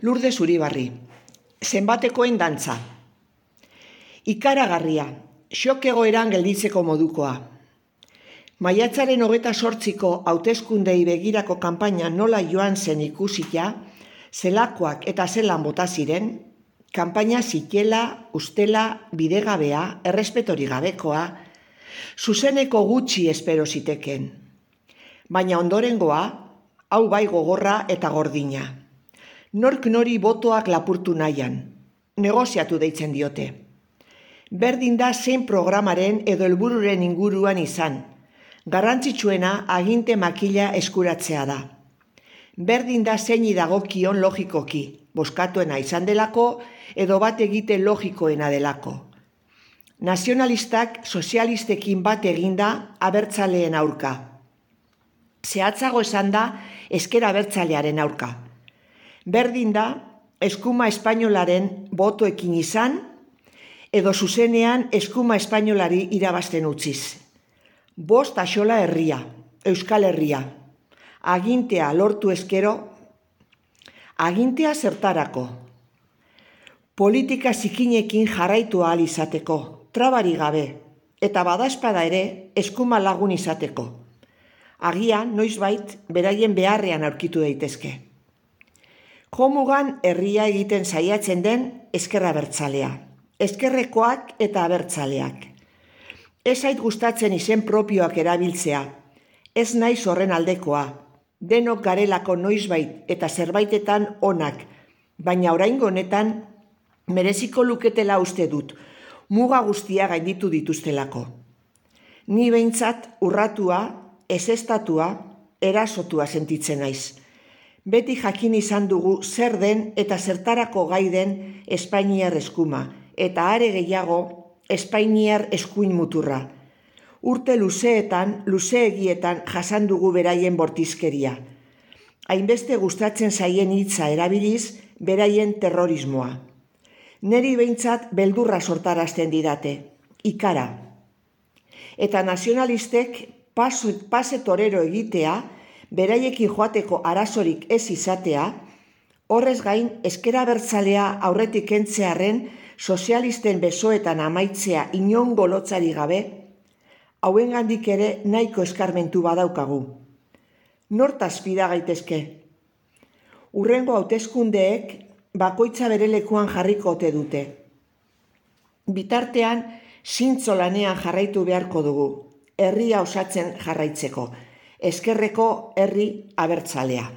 Lourdes Uribarri, zenbatekoen dantza. Ikaragarria, xok egoeran gelditzeko modukoa. Maiatzaren 28ko hauteskundei begirako kanpaina nola joan zen ikusita, zelakoak eta zelan bota ziren, kanpaina zikela, ustela, bidegabea, errespetori gabekoa, zuzeneko gutxi espero ziteken. Baina ondorengoa, hau bai gogorra eta gordina. Nork nori botoak lapurtu nahian, negoziatu deitzen diote. Berdin da zein programaren edo helbururen inguruan izan, garrantzitsuena aginte makila eskuratzea da. Berdin da zeini dagokion logikoki, bozkatuena izan delako edo bat egite logikoena delako. Nazionalistak sozialistekin bat eginda abertzaleen aurka. Zehatzago esan da ezker abertzalearen aurka. Berdin da eskuma espainolaren botoekin izan edo zuzenean eskuma espainolari irabazten utziz. Bost axola herria, Euskal Herria. Agintea lortu eskero, agintea zertarako. Politika zikinekin jarraitu ahal izateko, trabari gabe, eta badaezpada ere eskuma lagun izateko. Agian, noizbait, beraien beharrean aurkitu daitezke. Jomugan herria egiten saiatzen den ezker abertzalea, ezkerrekoak eta abertzaleak. Ez zait gustatzen izen propioak erabiltzea, ez naiz horren aldekoa, denok garelako noizbait eta zerbaitetan onak, baina oraingo honetan mereziko luketela uste dut, muga guztia gainditu dituztelako. Ni behintzat urratua, ezeztatua, erasotua sentitzen naiz. Beti jakin izan dugu zer den eta zertarako gai den espainiar eskuma, eta are gehiago espainiar eskuin muturra. Urte luzeegietan jasan dugu beraien bortizkeria. Hainbeste gustatzen zaien hitza erabiliz beraien terrorismoa. Neri behintzat beldurra sortarazten didate, ikara. Eta nazionalistek pase torero egitea, beraiekin joateko arazorik ez izatea, horrez gain ezker abertzalea aurretik kentzearren sozialisten besoetan amaitzea inongo lotzari gabe, hauengandik ere nahiko eskarmentu badaukagu. Nortaz fida gaitezke? Hurrengo hauteskundeek bakoitza bere lekuan jarriko ote dute. Bitartean, zintzo lanean jarraitu beharko dugu, herria osatzen jarraitzeko, ezkerreko herri abertzalea.